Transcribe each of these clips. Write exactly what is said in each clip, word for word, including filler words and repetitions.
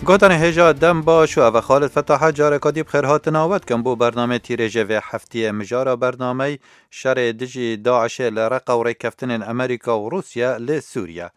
Gotanê hêja dem baş û ev e Xalid Fetaha, careka dî bi xêr hatina we dikim bo bernamê tîrêjê vê heftiyê. Mijara bernameyê şerê dijî DAIŞê li Reqa û rêkeftinên Amerîka û Rûsya li Sûriye.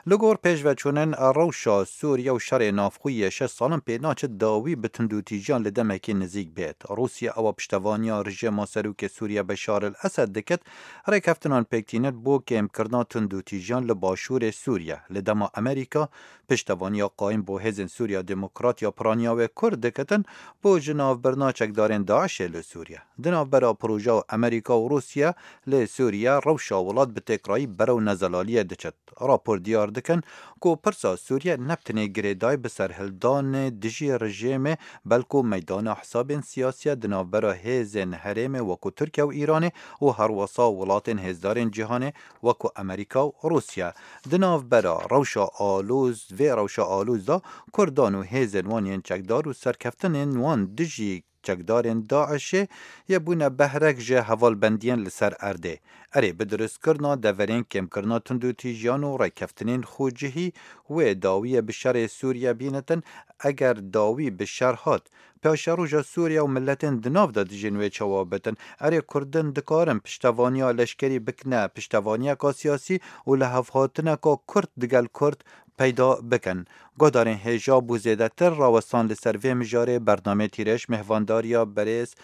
Li gor pêşveçûnên rewşa Sûriye û şerê navxwî yê şeş salin pê naçe dawî bi tundûtîjiyan li demekî nizîk bêt. Rûsya ewa piştevaniya rejîma serokê Sûriye Beşar el Esed dikit, rêkeftinan pêk tînit bo kêmkirina tundûtîjiyan li başûrê Sûriye. Li dema Amerîka piştevaniya qayîm bo Hêzên Sûriya Demokrat ya piraniya wê Kurd dikitin bo ji navbirina çekdarên DAIŞê li Sûriye. Di navbera projeya Amerîka û Rûsya li Sûriye rewşa welat bi têkrayî berew nezelaliyê diçit. Rapor diyar dikin ku pirsa Sûriye ne bi tenê girêdayî bi serhildanê dijî rejîmê, belku meydana hesabên siyasî ye di navbera hêzên herêmê wekû Tirkiye û Îranê û herwesa welatên hêzdarên cîhanê wekû Amerîka û Rûsya. Di navbera rewşa alûz, vê rewşa alûz de Kurdan û hêzên wan yên çekdar û serkeftinên wan dijî çekdarên DAIŞê yê bûne behrek ji hevalbendiyên li ser erdê. Erê, bi dirustkirina deverên kêmkirina tundûtîjiyan û rêkeftinên xwecihî wê dawiyê bi şerê Sûriye bînitin, eger dawî bi şer hat, paşeroja Sûriye û miletên di nav de dijîn wê çawa bitin. Erê, Kurdin dikarin piştevaniya leşkerî bikine piştevaniyeka siyasî û lihevhatineka Kurd digel Kurd peyda bikin. Guhdarên hêja bo zêdetir rawestan li ser vê mijarê bernameyê Tîrêj mêhvandariya berêz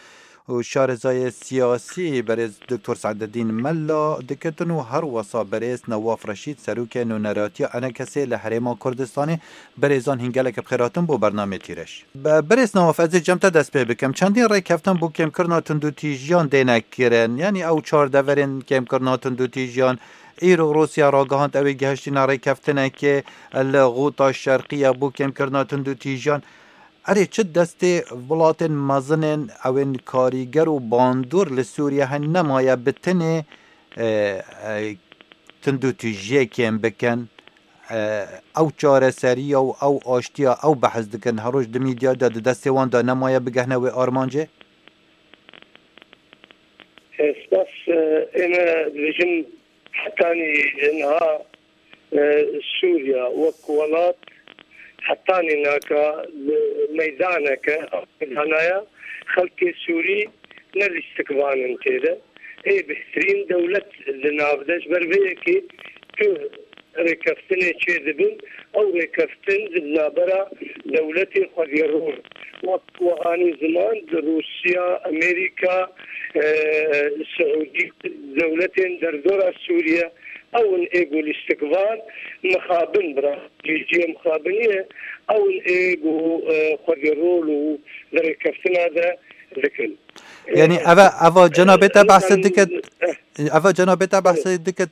û şarezayê siyasî berêz Doktor Seededîn Mela dikitin û her wesa berêz Newaf Reşîd, serokê nûneratiya ENKSê li Herêma Kurdistanê. Berêzan hîn gelek bi xêr hatin bo bernameyê Tîrêj. Be-, berêz Newaf, ez ê cem te dest pê bikim. Çendîn rêkeftin bo kêmkirina tundûtîjiyan têne kirin. Yanî ew çar deverên kêmkirina tundûtîjiyan, îro Rûsya ragihand ew ê gihiştîne rêkeftinekê li Xûta Şerqî ya bo kêmkirina tundûtîjiyan. Erê, çi destê welatên mezin ên, ew ên karîger û bandor li Sûriye hene, nemaye bi tenê, e, e, tundûtîjiyê kêm bikin. E, ew çareseriya û ew aştiya ew behs dikin, her roj di mîdya de di destê wan de nemaye bigehne wê armancê? Spas, e, ême dibêjin hetanî niha, e, Sûriya wek welat hetanî naka li meydaneke, meydanaya xelkê Sûrî ne lîstikvan in tê de. Ê bêhtirîn dewlet li nav de, ji ber vê yekê tu rêkeftinê çêdibin, ew rêkeftin di navbera dewletê xwedî rûn. Wek we anî ziman, di Rûsya, Amerîka, e, Siûdî, dewletên derdora Sûriye, ew in ê ku lîstikvan mixabin, bi rastî cihê mixabinî ye, ew in ê ku, e, xwedî rol û di rêkeftina de dikin. Yanî eva, eva cenabê te behse dikit, eva cenabê te behse dikit,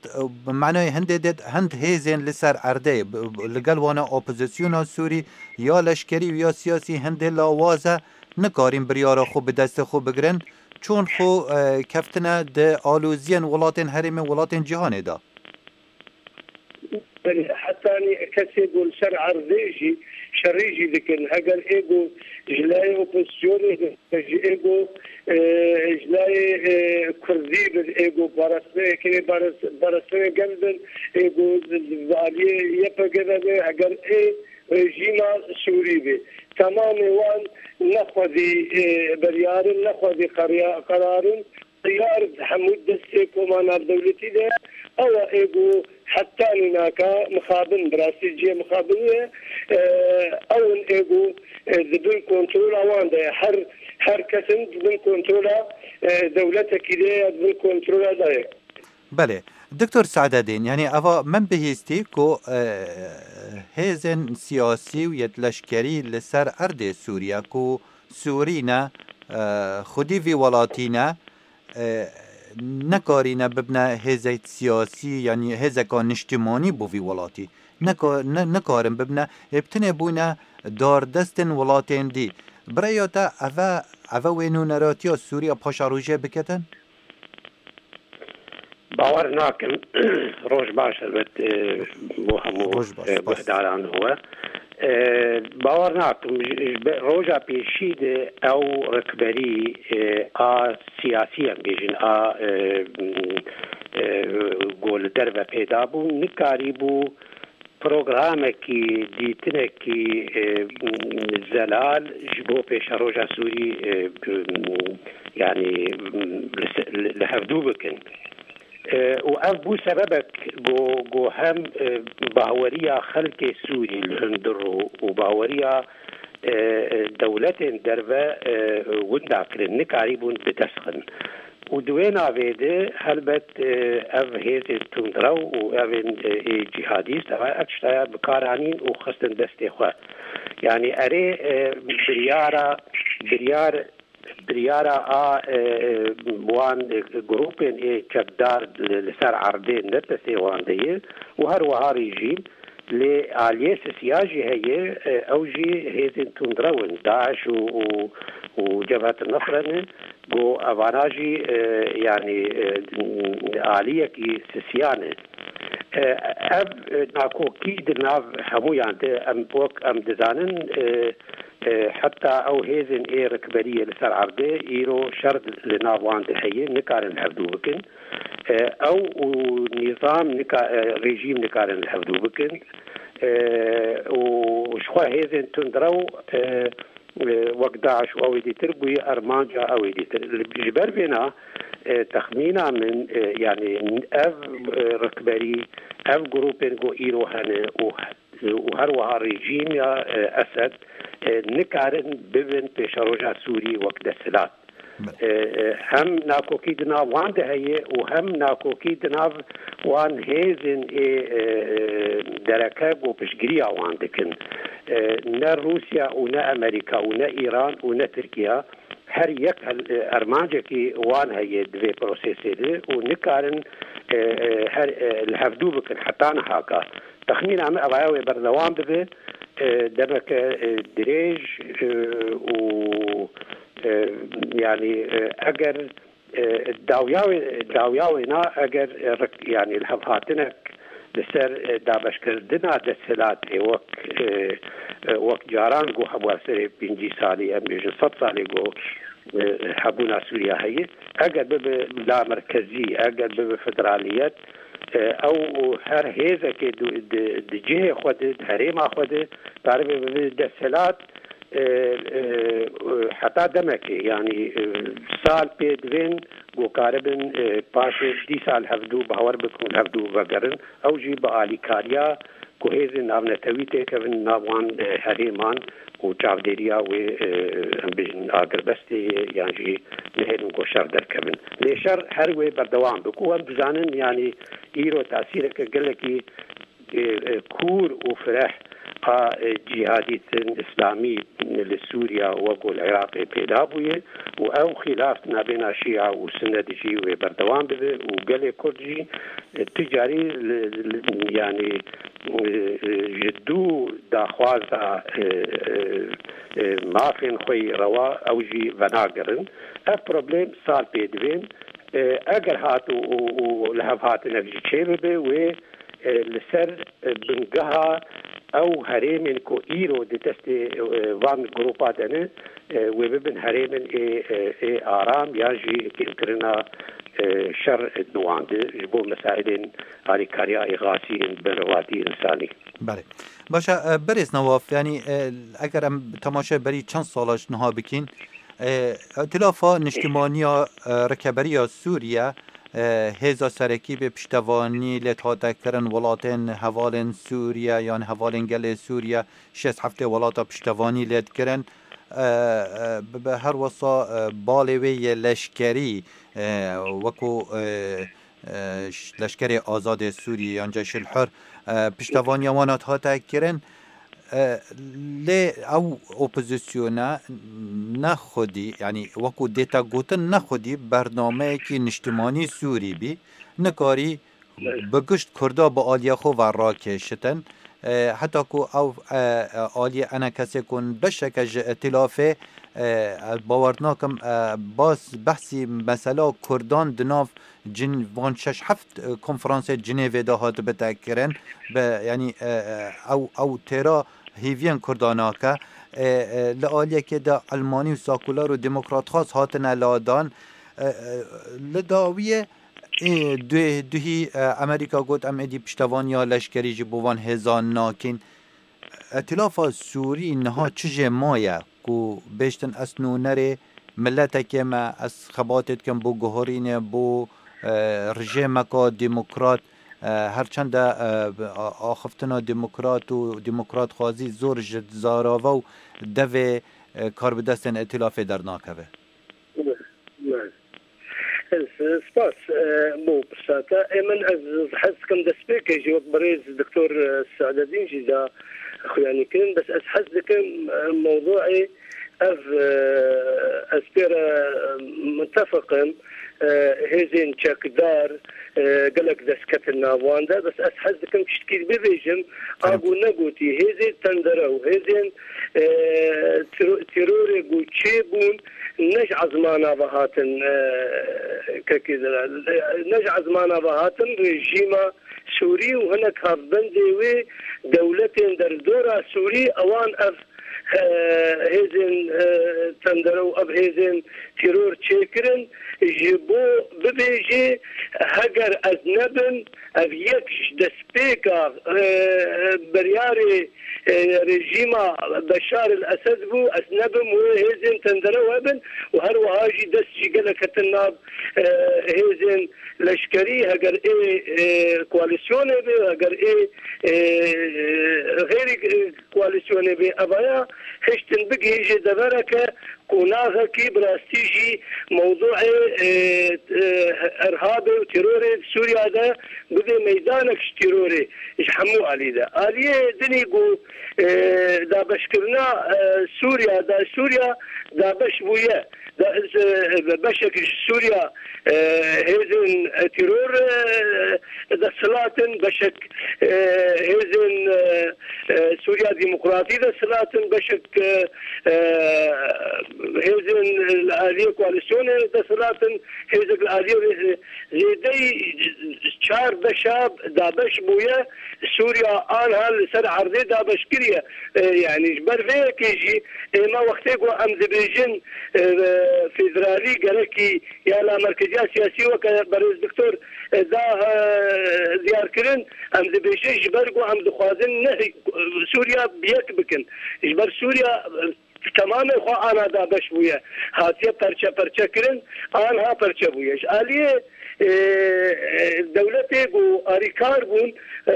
manayê hindê dê, hind hêzên li ser erdê, b-, b-, li gel wana opozisyona Sûrî, ya leşkerî û ya siyasî hindê lawaz e, nikarîn biryara xwe bi destê xwe bigirin, çûn xwe, e, keftine di aloziyên welatên herêmê, welatên cîhanê de. Belê, hetanî kesê ku li ser erdê jî şerî jî dikin. Heger ê ku ji layê opozisyonê bin, ji ê ku, e, ji layê, e, kurdî bin, ê ku parastinê, yekînê paras-, parastinê gel bin, ê ku bi aliyê Y P G de bin, heger ê rejîma Sûrî be. Temamê wan ne xwedî, e, biryar in, ne xwedî qerya-, qerar in. Teyar di hemû destê koma navdewletî de ew e, ê ku heta nînaka mixabin, bi rastî cihê mixabinî ye. E, ew in ê ku, e, di bin kontrola wan de ye. Her, her kes in di bin kontrola, e, dewletekî de ye ya di bin kontrola de ye. Belê. Doktor Saededîn, yanî eva min bihîstî ku, e, hêzên siyasî û yet leşkerî li ser erdê Sûriye ku Sûrî ne, e, xwedî vî welatî ne, e, nekarîne bibne hêzek siyasî, yanî hêzeka niştimanî bo vî welatî. Neka-, ne-, nikarin bibne, ê bi tinê bûne dardestên welatên dî. Bi rêya te eve, eve wê nûneratiya Sûriya paşerojê biketin? Bawer nakim. Roj baş, elbet, e, bo hemû, roj baş, e, spas, guhdaran we. E, bawer nakim, ji, ji be-, roja pêşî de ew rikberî, e, a siyasî, em bêjin, a, e, e, ku li derve peyda bû, nikarîbû programekî, dîtinekî e, zelal ji bo pêşeroja Sûrî e, yanî li se- li hevdû bikin. E, û ev bû sebebek ku, ku hem e, baweriya xelkê Sûrî li hundir û, û baweriya e, e, dewletên derve e, winda kirin, nikarîbûn bi dest xin. Û di wê navê de helbet e, ev hêzên tundrew û evên e, ê cîhadîst, ev, ev tiştaya bi kar anîn û xistin destê xwe. Yanî erê e, biryara, biryar, biryara a e, e, wan e, grûpên ê çekdar li, li ser erdê ne destê wan de ye û her wiha rejîm. Lê aliyê sisiya jî heye, e, ew jî hêzên tundrew in, DAIŞ û, û, û Cebhet Nusre ne, ku evana jî e, yanî e, aliyekî sisiya ne. E, ev e, nakokî di nav hemûyan de, em wek em dizanin e, e, heta ew hêzên ê rikberiyê li ser erdê îro şer li nav wan de heye, nikarin hevdû bikin. E, ew û nîzam nika, e, rejîm nikarin li hevdû bikin. E, û ji xwe hêzên tundrew e, e, wek DAIŞ û ew ê dîtir bûye armanca ew ê dîtir. Li- Ji ber vêna e, texmîna min e, yanî ev e, rikberî, ev grûpên ku îro hene û û her wiha rejîm ya e, Esed e, nikarin bibin pêşeroja Sûrî wek desthilat. E, e, hem nakokî di nav wan de heye û hem nakokî di nav wan hêzên ê e, e, dereke ku piştgiriya wan dikin. E, ne Rûsya û ne Amerîka û ne Îran û ne Tirkiye her yek hel- e, armancekî wan heye di vê prosesê de û nikarin e, e, her e, li hevdû bikin heta nihaka. Texmîna min ev aya wê berdewam bibe, e, demeke e, dirêj e, û e, yanî e, eger e, dawya wê, dawya wê na eger e, rik- yanî li hev hatinek li ser e, dabeşkirina desthilatê wek e, e, wek caran ku hebû ev serê pêncî salî, em bêjin sed salê ku e, hebûna Sûriya heye, eger bibe lamerkezî, eger bibe federaliyet, e, ew û her hêzekê di, di, di cihê xwe de, di herêma xwe de, karibe bibe desthilat, e, e, heta demekê, yanî e, sal pê divên ku karibin e, paşê dîsa li hevdû bawer bikin û li hevdû vegerin. Ew jî bi alîkariya ku hêzên navnetewî têkevin nav wan e, herêman û çavdêriya wê e, em bêjin agirbestê ye yan jî nehêlin ku şer derkevin. Lê şer her wê berdewam be ku em dizanin, yanî îro tesîreke gelekî e, e, kûr û fireh a e, cîhadîtin îslamî li Sûriya wek li Iraqê pêda bûye û ew xîlaf nabêna Şîa û Sunne de jî wê berdewam bibe û gelê Kurd jî e, tu carî li, li, yanî e, e, ji dû daxwaza e, e, e, mafên xwe yî rewa ew jî venagerin. Ev problem sal pê divên. E, eger hat û, û, û li hev hatinek jî çêbibe, wê e, li ser e, bingeha ew herêmên ku îro di destê e, van grûpa de ne, e, wê bibin herêmên ê, e, ê aram yan jî kêmkirina e, şer di wan de ji bo mesailên alîkariya îxasî yên berevatiya însanî. Belê. Baş e, e, berêz Newaf, yanî e, eger em temaşe berî çend sala ji niha bikîn, e, îtilafa niştimaniya e, rikeberiya Sûriye, e, hêza serekî bi piştevanî lê hate kirin welatên hevalên Sûriye yan hevalên gelê Sûriye, şêst heftê welata piştevanî lê dikirin. E, e, bi, bi her wesa e, balê wê yê leşkerî e, wekû e, e, ş- Leşkerê Azadê Sûriyê yan Ceyşil Hur e, piştevaniya wan hat hate kirin. E, lê ew opozisyona ne xwedî, yanî wekû dête gotin, ne xwedî bernameyekî niştimanî Sûrî bî, nikarî bi gişt Kurda bi aliyê xwe ve rakêşitin. E, heta ku ew e, e, aliyê enekesê ku beşeke ji îtilafê, e, ez bawer nakim, e, bas behsî mesela Kurdan di nav cin van şeş heft e, konferansê Cinêvê de hat bite kirin. Bi, yanî e, e, ew, ew têra hêviyên Kurdan nake. E, e, li aliyekê de Elmanî û sakular û demokratxwaz hatine ladan. E, e, li dawiyê Ê, duhê, duhî, e, Amerîka got, em êdî piştevaniya leşkerî ji bo van hêzan nakin. Îtîlafa Sûrî niha çi jê maye ku bêjtin ez nûnerê miletekê me, ez xebatê dikim bo guherînê, bo, e, rejêmeka demokrat, e, her çende, e, a-, axiftina demokrat û demokratxwazî zor ji zarava û devê, e, karbidestên îtîlafê dernakeve? Spas. E, bo pirsata. Ê min, ez hez dikim destpêkê jî wek birêz Doktor Seadedîn jî da xuyanî kirin. Bes ez hez dikim, e, mewduê ev, e, ez pê re, e, mitefiq im. E, hêzên çekdar, e, gelek dest ketin nav wan de. Bes ez hez dikim tiştkî bibêjim, a ku negotî, hêzên tendere û hêzên, e, tero-, terorê ku çêbûn, ne ji ezmana ve hatin, e, kekê de, ne ji ezmana ve hatin, rejîma Sûrî û hinek hevbendê wê dewletên derdora Sûrî, ewan ev, e, hêzên, e, tendere û ev hêzên teror çêkirin, ji bo bibêjê, heger ez nebim, ev yek ji destpêka, e, biryarê, e, rejîma Beşar el Esed bû, ez nebim wê hêzên tendere hebin û her wiha jî dest jî gelek ketin nav, e, hêzên leşkerî, heger ê, e, koalîsyonê be, heger ê, e, xêrî, e, koalîsyonê be, evaya hiştin bigihîjê devereke qonaxekî bi rastî jî mewduê, e, e, irhabê û terorê di Sûriya de bibê meydanek ji terorê ji hemû alî de. Aliyê dinî ku, e, dabeşkirina, e, Sûriya, da Sûriya dabeş bûye. Da, e, beşek ji Sûriya, e, hêzên teror, e, desthilat in, beşek, e, hêzên, e, e, Sûriya Demokratî desthilat in, beşek, e, e, hêzên li aliyê koalîsyonê desthilat in, hêzek li aliyê, e, zêdeyî çar beşa dabeş bûye. Sûriya anha li ser erdê dabeş kiriye. E, yanî ji ber vê yekê jî ême wextê ku em dibêjin, e, federalî gerekî ya la merkeziya siyasî weke berêz doktor, e, da, e, diyar kirin, em dibêjin ji ber ku em dixwazin ne Sûriya bi yek bikin. Ji ber Sûriya, e, temamê xwe ana dabeş bûye. Hatiye perçe perçe kirin, anha perçe bûye. Ji aliyê, e, e, dewletê ku arîkar bûn, e,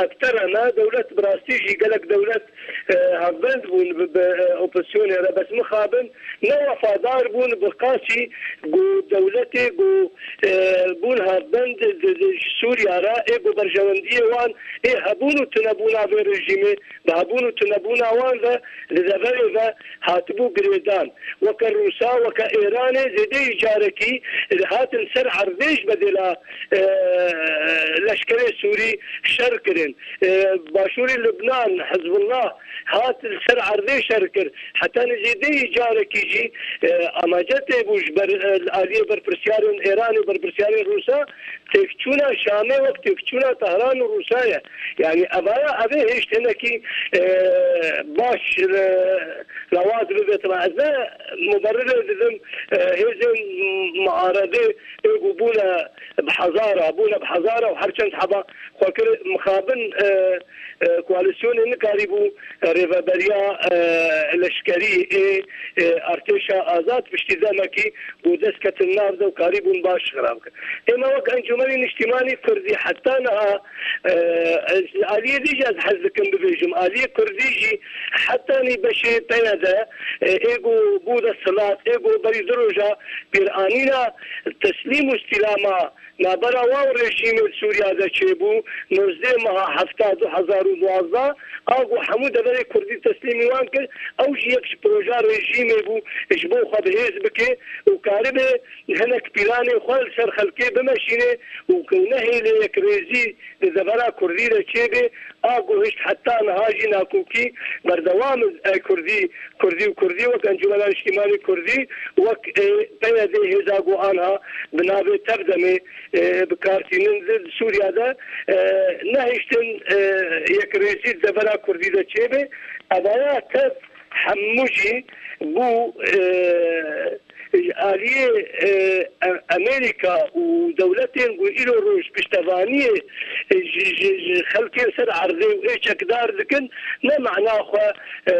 ev tereme dewlet bi rastî jî gelek dewlet, e, hevbend bûn bi, bi, e, opozisyonê re, bes mixabin ne wefadar bûn bi qasî ku dewletê ku, e, bûn hevbend di, di, ji Sûriya re, ê ku berjewendiyê wan, ê hebûn û tunebûna vê rejîmê, bi hebûn û tunebûna wan ve li deverê ve hatibû girêdan. Weke Rûsa, weke Êranê zêdeyî carekî hatin ser erdê ji bedêla, e, leşkerê Sûrî şer kirin. E, başûrê Libnan, Hizbullah hat li ser erdê şer kir. Heta nizî dehî carekî jî, e, amace tê bû ji ber, e, li aliyê berpirsiyarên Êranê, berpirsiyarên Rûsa, têkçûna Şamê wek têkçûna Tehran û Rûsa ye. Yanî evaya evê hêşt hinekî, e, baş, e, lawaz bibe. Tima ez ne muberrirê didim, e, hêzên muaredê ê ku bûne bi hezara, bûne bi hezara û her çend heba xwe kir mixabin, e, e, koalîsyonê nikarîbû, e, rêveberiya, e, leşkerî ê, e, artêşa azad piştî demekî ku dest ketin nav de û karîbûn baş xirab kin. Ême wek Encûmenê Niştîmanî Kurdî heta niha, e, ez, aliyê dî jî ez hez dikim bibêjim, aliyê Kurdî jî hetanî beşê P Y D, e, ê ku bû desthilat, ê ku berî du roja pêranîna teslîm û îstîlama navbera wan rejîmê li Sûriya de çêbû, nozdeh meha hefta du hezar û duwazdeh, a ku hemû deverê Kurdî teslîmî wan kir, ew jî yek ji proja rejîmê bû, ji bo xwe bi hêz bike û karibe hinek pîlanê xwe li ser xelkê bimeşîne û ku nehêle yekrêzî di devera Kurdî de çêbe, a ku hişt heta niha jî nakokî berdewam e. Kurdî, Kurdî û Kurdî wek Encûmena Niştîmanî Kurdî, wek, e, P Y D hêza ku anha bi navê Tevdemê, e, bi kar tînin di Sûriya de, e, nehiştin, e, yekrêzî di devera Kurdî de çêbe. Evaya tev hemû jî bû, e, Ji aliyê, e, E-, Amerîka û dewletên ku îro roj piştevaniyê, e, ji, ji, ji xelkên ser erdê û ê çekdar dikin, ne mana xwe, e,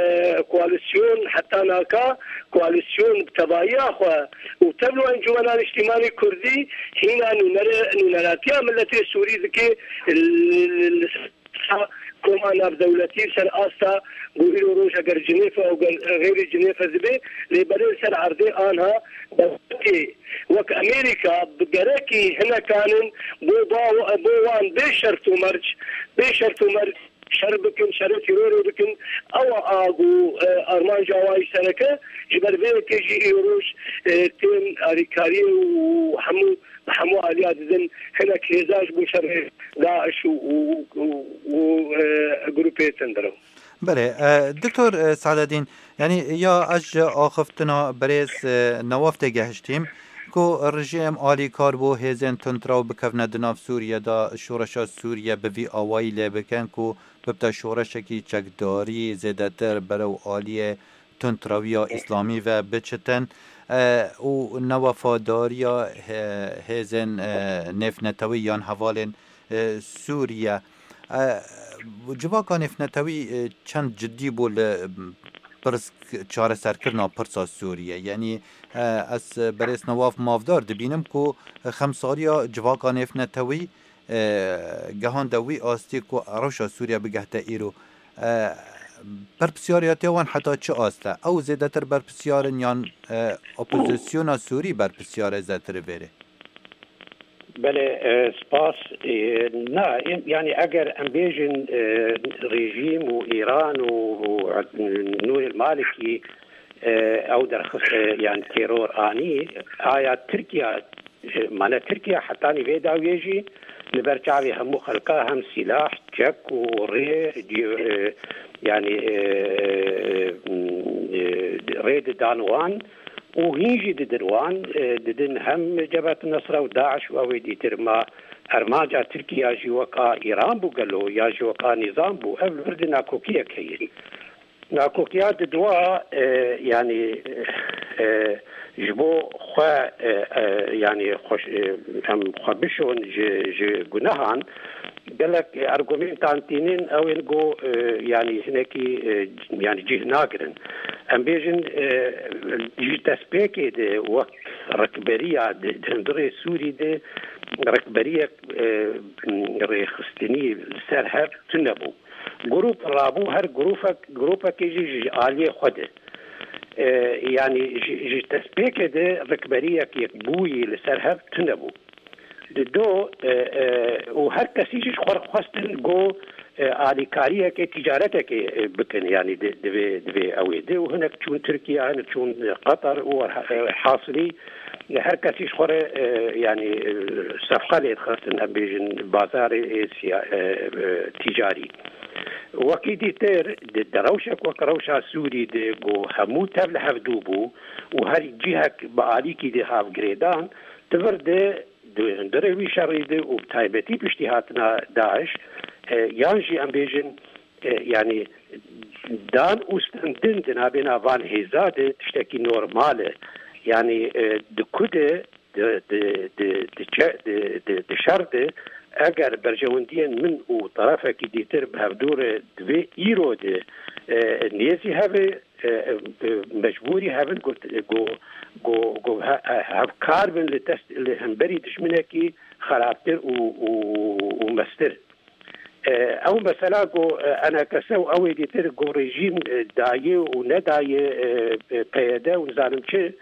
koalîsyon heta naka, koalîsyon bi tevahiya xwe û tevlo Encûmena Niştîmanî Kurdî hîna nûnere-, nûneratiya miletê Sûrî dike, li, li, li ser koma navdewletî, ser asta ku îro roj eger Cinêfe û ger-, xeyrî Cinêfe dibe, lê belê li ser erdê anha dewletê wek Amerîka bi gerekî hinekan in bo ba-, bo wan bê şert û merc, bê şert û merc şer bikin, şerê tîrorê bikin. Ew a ku, e, armanca wan ji sereke, ji ber vê yekê jî îro roj, e, tên alîkariyê û hemû, bi hemû aliya didin hinek hêza ji bo şerê DAIŞ û, û, û, û, e, grûpê tundrew. Belê, e, Doktor, e, Sadedîn, yanî ya ez ji axiftina birêz, e, Newaf tê gehiştîm ku rejîm alîkar bû hêzên tundrew bikevne di nav Sûriye de, şoreşa Sûriye bi vî awayî lê bikin ku bibte şoreşekî çekdarî zêdetir berew aliyê tundrewiya îslamî ve biçitin, e, û newefadariya he-, hêzên, e, nêvnetewî yan hevalên, e, Sûriye. E, civaka nêvnetewî, e, çend cidî bû li pirs-, çareserkirina pirsa Sûriye. Yanî, e, ez berêz Newaf mafdar dibînim ku xemsariya civaka nêvnetewî, e, gehande wî astî ku rewşa Sûriye bigehte îro. E, berpirsyariya te wan heta çi ast e? Ew zêdetir berpisyar in yan, e, opozisyona Sûrî berpisyar e zêdetir vêrê? Belê, e, spas. E, na, em, yanî eger em bêjin, e, rejîm û Îran û, û Nûrê Malikî, e, ew derxist, e, yanî teror anî, aya Tirkiye, e, mane Tirkiye hetanî vê dawiyê jî li ber çavê hemû xelka hem sîlah, çek û rê, dî-, e, yanî, e, e, rê didan wan û hîn jî didin wan, e, didin hem Cebhet Nusra û DAIŞ û ew ê dîtir. Ma armanca Tirkiye jî weka Îran bû gelo ya jî weka nîzam bû? Ev li vir di nakokiyek heye. Nakokiya di dua, e, yanî, e, ji bo xwe, e, e, yanî xwe, e, em xwe bişon ji, ji gunehan, gelek argumentan tînin, ew ên ku, e, yanî hinekî, e, yanî cih nagirin. Em bêjin, e, ji destpêkê de wek rikberiya di, di hundirê Sûrî de rikberiyek, e, rêxistinî li ser hev tune bû. Grûp rabû, her grûpek, grûpekê jî ji aliyê xwe de. E, yanî ji, ji destpêkê de rikberiyek yekbûyî li ser hev tune bû. Di do, e, e, û her kesî jî ji xwe re xwestin ku, e, alîkariyekê, tîcaretekê, e, bikin, yanî di, di vê, di vê ew ê de. Û hinek çûn Tirkiye, hinek çûn Qatar û, e, hasilî, e, her kesî ji xwe re, e, yanî, e, sefqa lê dixistin, em bêjin, bazarê, e, siya-, e, e, tîcarî. Wekî dîtir, di, di rewşek wek rewşa Sûrî de ku hemû tev li hevdû bû û her cihek bi alîkî de hav girêdan, di vir de di hundirê wî şerî de û bi taybetî piştî hatina DAIŞ, e, yan jî em bêjin, e, yanî dan û stendin di navbêna van hêza de tiştekî normal e. Yanî, e, di ku de, di, di, di, di çe-, di, di, di şer de, eger berjewendiyên min û terefekî dîtir bi hevdû re di vê îro de, e, nêzî hebe, e, e, mecbûrî hev in ku, ku, ku, ku he-, he-, hevkar bin li dest, li hemberî dijminekî xerabtir û, û, û mestir. E, ew mesela ku, e, enekese û ew ê dîtir ku rejîm, e, dayê û nedayê, e, e, P Y D û nizanim çi,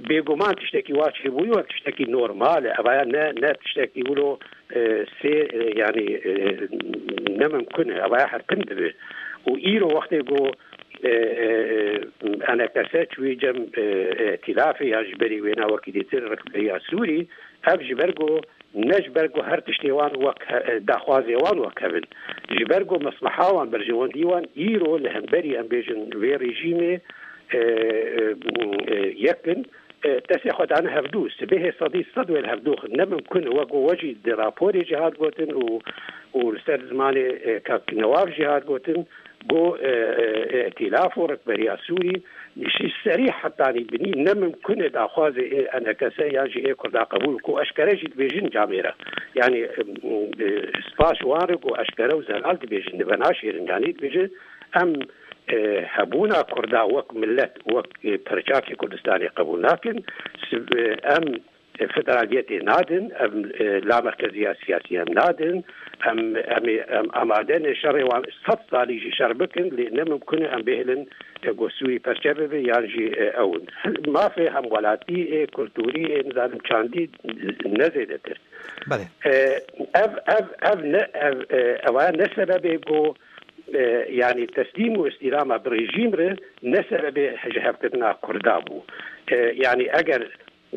bêguman tiştekî wa çêbûyî wek tiştekî normal e. Evaya ne, ne tiştekî wilo, e, sê, e, yanî, e, ne mimkun e. Evaya her tim dibe. Û îro wextê ku e, e, e, enekese çûyî cem, e, e, îtîlafê ya ji berî wêna wekî dîtir rikberiya Sûrî, ev ji ber ku ne ji ber ku her tiştê wan wek he-, e, daxwazê wan wek hev in. Ji ber ku mesleha wan, berjewendî wan îro li hemberî, em bêjin, vê rejîmê, e, e, e, yek in. e, destê xwe dane hevdû, sibêhê sedî sed wê li hevdû xin. Ne mimkun e, wek we jî di raporê jî hat gotin û, û li ser zimanê, e, kak Newaf jî hat gotin, got, e, e, e, îtîlaf û rikberiya Sûrî jî serî hetanî binî ne mimkun e daxwazê ê E N K S yan jî ê Kurda qebûl ku eşkere jî dibêjin camêre. Yanî, e, e, spas ji wan re ku eşkere û zelal dibêjin, dibe naşêrin, yanî dibêjin, em, e, hebûna Kurda wek milet, wek, e, perçakê Kurdistanê qebûl nakin. Sib-, e, em, e, federaliyetê nadin, em, e, lamerkeziya siyasî em nadin, em, em, ê, em amade ne şerê wan sed salî jî şer bikin, lê ne mimkun e em bêhilin, e, ku Sûrî perçe bibe yan jî, e, ew in. Mafê hemwelatî, ê kulturî, ê nizanim çandî ne zêdetir. Belê. E, ev, ev, ev ne, ev, e, ev ne sebebê ku, e, yanî teslîm û îstîlama bi rejîm re ne sebebê ji hevkirina Kurda bû. E, yanî eger,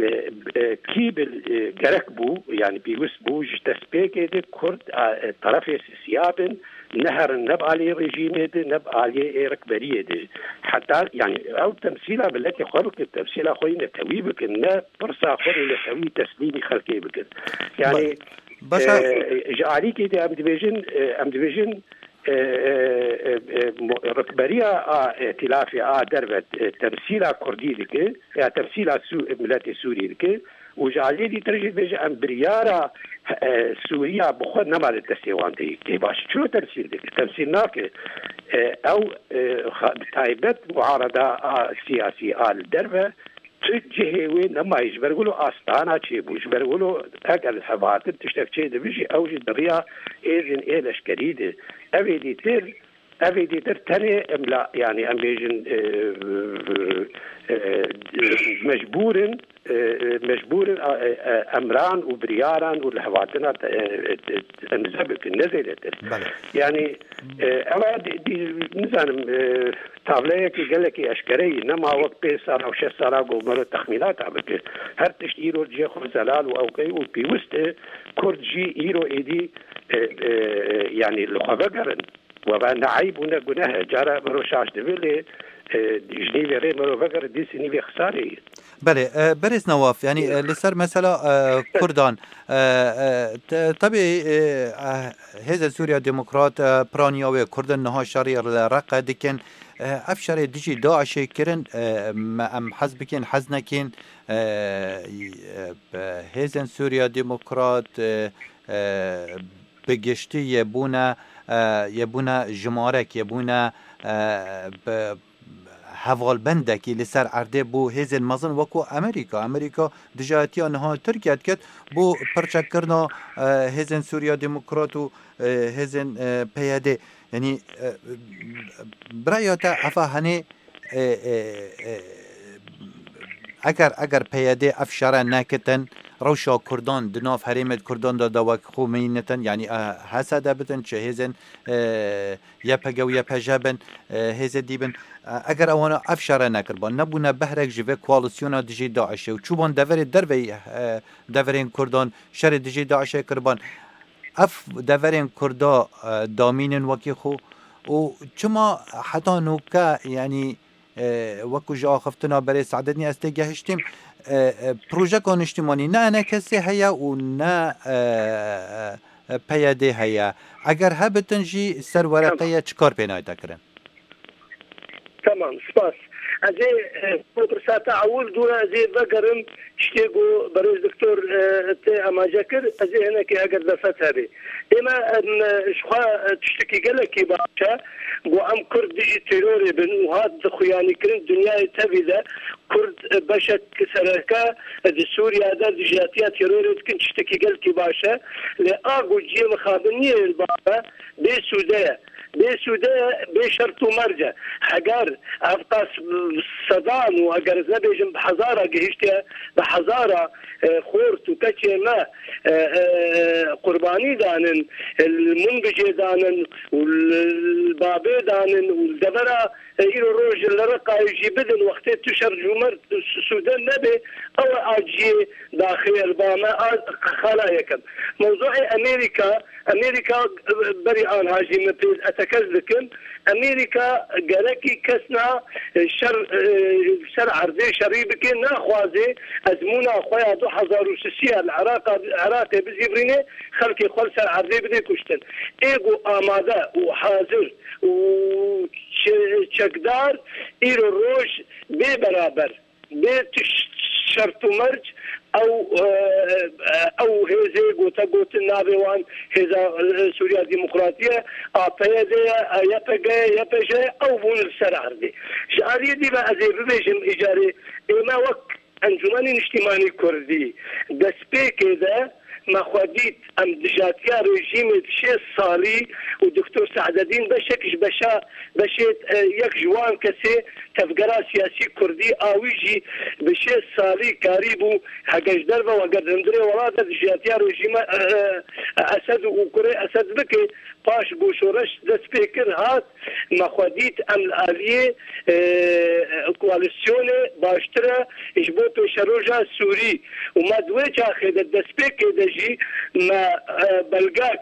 e, e, kî bi, e, gerek bû, yanî pêwist bû ji destpêkê de Kurd, a, e, terefê sisiya bin, neherin ne bi aliyê rejîmê de, ne bi aliyê ê rikberiyê de. Heta, yanî ew temsîla miletê xwe bikin, temsîla xwe yî netewî bikin, ne pirsa xwe yî netewî teslîmî xelkê bikin. Yanî, Ba-, başa e, ji alîkê de em dibêjin, e, em dibêjin, e, e, e, e, mo-, rikberiya a îtîlafê a derve, e, temsîla Kurdî dike, ya temsîla Sû-, miletê Sûrî dike û ji aliyê dîtir jî dibêje em biryara, e, Sûriya bi xwe nema li destê wan de yê. Tê baş çilo temsîl dike? Temsîl nake. E, ew, e, xa-, bi taybet muarada a siyasî a li derve tu cihê wê nemayî, ji ber wilo Astana çêbû, ji ber wilo eger li hev hatin tiştek çê dibe jî, ew jî di riya êzên ê leşkerî de. Ev ê dîtir, ev ê dîtir tenê em la, yanî em bêjin, e, e, e, mecbûr in, e, e, mecbûr in, e, e, emran û biryaran û li hev hatina, e, e, e, imze bikin, ne zêdetir. Belê. Yanî, e, ew ê dî-, dî-, nizanim, e, Tavleyekî gelekî eşkere yî, nema wek pênc sala û şeş sala ku mero texmînata bike. Her tişt îro cihê xwe zelal û ewqey û pêwist e, Kurd jî îro êdî, e, e, yanî li xwe vegerin. We ve ne eyb û ne guneh e. Cara mero şaş dibe lê, e, ji nîvê rê mero vegere, dîsî nîvê xisarê ye. Belê, e, berêz Newaf, yanî, e, li ser mesela, e, Kurdan, e, e, te-, tebî, e, e, Hêzên Sûriya Demokrat, e, piraniya wê Kurdin niha şerî li Reqe dikin. E, ev şerê dijî DAIŞê kirin, e, me em hez bikin, hez nekin, e, e, bi Hêzên Sûriya Demokrat, e, e, bi giştî yê bûne, e, yê bûne jimarek, yê bûne, e, bi hevalbendekî li ser erdê bo hêzên mezin wekû Amerîka. Amerîka dijayetiya niha Tirkiye diket bo pirçekkirina, e, hêzên Sûriya Demokrat û, e, hêzên, e, P Y D. Yanî, e, bi raya te efa henê, e, e, e, eger, eger P Y D ev şere nekitin, rewşa Kurdan di nav herêmê Kurdan de, de wek xwe meyînitin, yanî, e, H S D bitin, çi hêzên, e, Y P G û Y P J bin, e, hêzê dî bin. E, eger ewana ev şere nekirban, nebûne behrek ji vê koalîsyona dijî DAIŞê û çûban deverê derveyî, e, deverên Kurdan şerê dijî DAIŞê kirban, ev deverên Kurda, e, damînin wekî xwe û çima heta nûke, yanî, e, wekû ji axiftina berê Seadetînê ez tê gehiştîm, e, e, projeka niştimanî ne E N K S heye û ne, e, e, P Y D heye. Eger hebitin jî ser wereqe Tamam. ye, çi kar pê nayte kirin? Tamam, spas. Ez ê, e, bo pirsa te ewil dû ez ê vegerim tiştê ku berêz doktor, e, te amaje kir, ez ê hinekê eger derfet hebe. Ême, em, e, ji xwe, e, tiştekî gelekî baş e. Ku em Kurd dijî terorê bin û hat dixuyanîkirin dinyayê tevî de Kurd, e, beşek sereke, e, di Sûriye de dijatiya terorê dikin, tiştekî gelkî baş e. Lê a ku cihê mixabin niyê li ba me, bê sûde ye. Bê sûde ye, bê şert û merc e. Heger ev qas sedan û eger ez nebêjim bi hezara gihiştiye, bi hezara, e, xort û keçê me, e, e, qurbanî danin, e, li Minbicê danin û li, li Babê danin û li devera, e, îro roj li Reqayê jî bidin, wextê tu şer û merc sûde nebe, ew e a cihê daxê ye li ba me, a xala yekem. Mewzuê Amerîka Amerîka, e, berî anha jî min pê etekez dikim. Amerîka gerekî kesna, e, şer, e, ser erdê şerî bike, naxwaze ezmûna xwe ya du hezar û sisiya li Iraqa, Iraqê bizîvirîne, xelkê xwe li ser erdê bide kuştin. Ê ku amade û hazir û çe-, çekdar îro roj bê beraber. Bê tu ş-, şert û merc ew, e, e, ew hêzê gote gotin navê wan hêza, e, Sûriya Demokratî ye, A P Y D ye, e, Y P G ye, Y P J ye, ew bûn li ser erdê. Ji aliyê dî ve ez ê bibêjim îcarê ême wek Encûmenê Niştîmanî Kurdî destpêkê de me xwe dît, em dijatiya rejîmê di şêst salî û Doktor Saededîn beşek ji beşa, beşê, e, yek ji wan kesê tevgera siyasî kurdî a wî jî bi şêst salî karîbû, heger ji derve û heger di hundirê welat de dijatiya rejîma, e, e, Esed û kurê Esed bike, paş ku şoreş dest pê kir hat, me xwe dît em li aliyê, e, koalîsyonê baştir e ji bo pêşeroja Sûrî û me di wê çaxê de destpêkê de jî me, e, belgek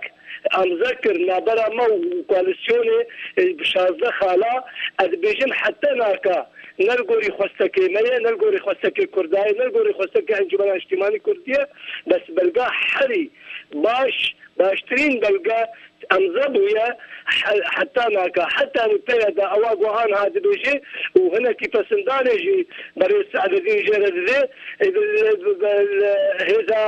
amze kir navbera me û koalîsyonê, e, bi şazdeh xala, ez dibêjim heta naka ne li gorî xwestekê me ye, ne li gorî xwestekê Kurda ye, ne li gorî xwestekê Encûmena Niştîmanî Kurdî ye, bes belga herî baş, baştirîn belge emze bûye he-, heta naka. Heta nî peye de ewa ku anha dibêje û hinekî pesindanê jî berê Saededîn jê re dide, e, bi, bi, bi, hêza,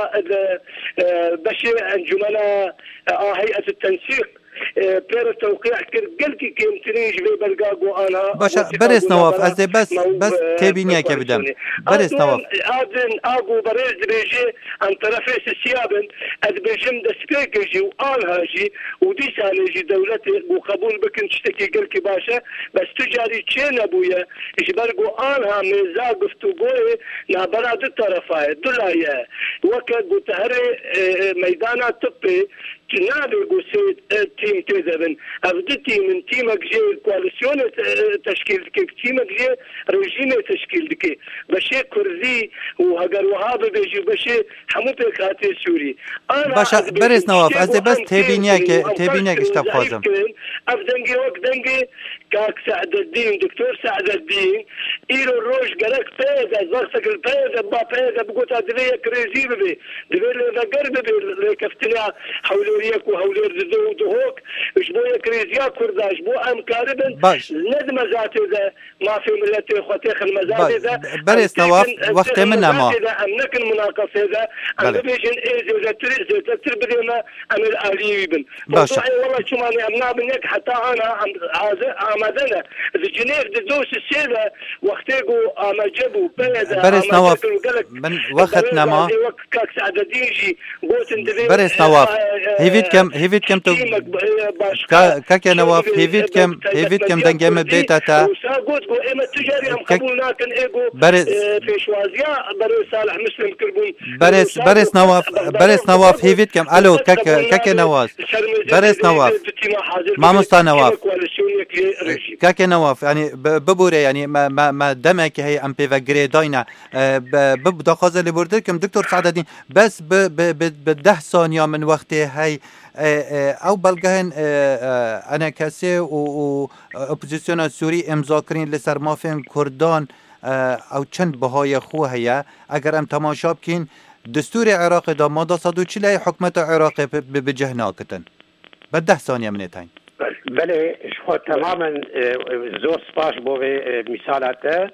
e, beşê encûmena, e, a heyet tensîq, e, pê re tewqî kir. Gelkî kêmtirîn ji vê belga ku anha Baş e, wesîqa berêz ku Newaf, navbera ez ê bes, me û, bes e, têbîniyeke bidim. koalîsyonê. Berêz Newaf. A din, a din, a ku berêz dibêje, em terefê sisiya bin, ez dibêjim destpêkê jî û anha jî û dîsanê jî dewletê ku qebûl bikin tiştekî gelkî baş e, bes tu carî çê nebûye, ji ber ku anha mêza guftûgoyê navbera du terefa ye, du laye ye. Weke ku te herê, e, e, meydana tibê, tu nabê ku sê, e, tîm tê de bin. Ev du tîm in, tîmek jê koalîsyonê te-, teşkîl dike, tîmek jê rejîmê teşkîl dike. Beşê Kurdî û heger wiha bibe jî beşê hemû pêkhatê Sûrî. Ana Baş e, ez dibêjim, berêz Newaf, tiştê ez ê ku bes em fêm têbîniyeke, kirin û em têbîniyek ferz ji te kirin, zeîf bixwazim. kirin, ev dengê wek dengê Kak Saededîn, Doktor Saededîn, îro roj gerek peye de, zexsek li peye de, ba peye de bigota divê yekrêzî bibe, divê lêveger bibe, lêkeftina hewlêriyek û hewlêr dido û dihok, ji bo yekrêziya Kurda, ji bo em karibin, Baş. ne di mezatê de, mafê miletê xwe têxin mezadê de, Be-, berêz em Newaf, têkin, em wextê têxin min nema. mezadê de, em nekin munaqesê de, em Belê. bibêjin ê zêdetir, zêdetir bidê me, em ê li aliyê wî bin. Baş e. Ê wela çimanê em nabin yek heta ana em hazir amade ne. Di Cinêv di do sisê de wextê ku amece bû, peye de Berêz amece Newaf, kir û gelek min wext nema. Wek Kak Saededîn jî gotin divê, Berêz Newaf, e, e, hêvî dikim, hêvî dikim tu tîmek, e, başka Ka-, Kake Newaf, hêvî dikim, hêvî dikim dengê min bête te. Wisa got ku ême tu carî em Kak-, qebûl nakin, ê ku, Berêz, e, pêşwaziya berê Salih Muslim kirbûn. Berêz, Wisa Berêz got Newaf, Bexda Berêz Newaf, hêvî dikim. Alo, Kake, Kake Newaf. Berêz Newaf. Mamosta Newaf. Kake Newaf, yani bi-, bibûre, yani me, me, me demek heye em pê ve girêdayne. E, bi, bi daxwaza lêbûrdir kim, Doktor Saededîn, bes bi, bi, bi, bi deh saniya min wextê hey, e, e, ew belgehên, e, e, Enekesê û, û, e, opozisyona Sûrî îmza kirin li ser mafên Kurdan, e, ew çend bihayê xwe heye? Eger em temaşa bikîn, destûrê Iraqê de mada sed û çil heye, hikûmeta Iraqê bi, bi, bi cih nakitin. Bi deh saniye min ê tayîn. Belê, ji xwe temamen, e, zor spas bo vê, e, mîsala te.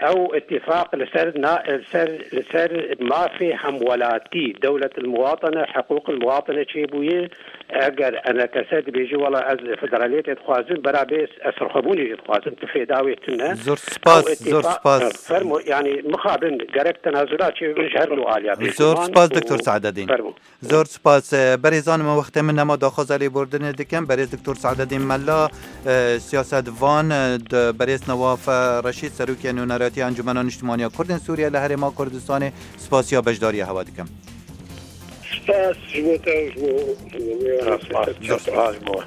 Ew îtîfaq li ser na-, li ser, li ser mafê hemwelatî, dewlet el muwatene, hiqûq el muwatene çêbûye. Eger enekese dibêje, wela ez federaliyetê dixwazim, bera bê ez serxwebûnê jî dixwazim, tu fêda wê tune. Zor spas, Ew zor îtîfaq, spas. Fermo, yani mixabin gerek tenazula çêbibin ji her du aliya bê. Zor spas, Doktor Saededîn. Fermo. Zor spas. E, berêzan min, wextê min nema, daxwaza lêbûrdinê dikim. Berêz Doktor Saededîn Mela, e, siyasetvan, e, di berêz Newaf, e, Reşîd, serokê Nûneratiya Encûmena Niştimaniya Kurdên Sûriye li Herêma Kurdistanê, spasiya beşdariya hewa dikim. Spas ji bo te û ji bo, ji bo wê. Spas, spas ji bo.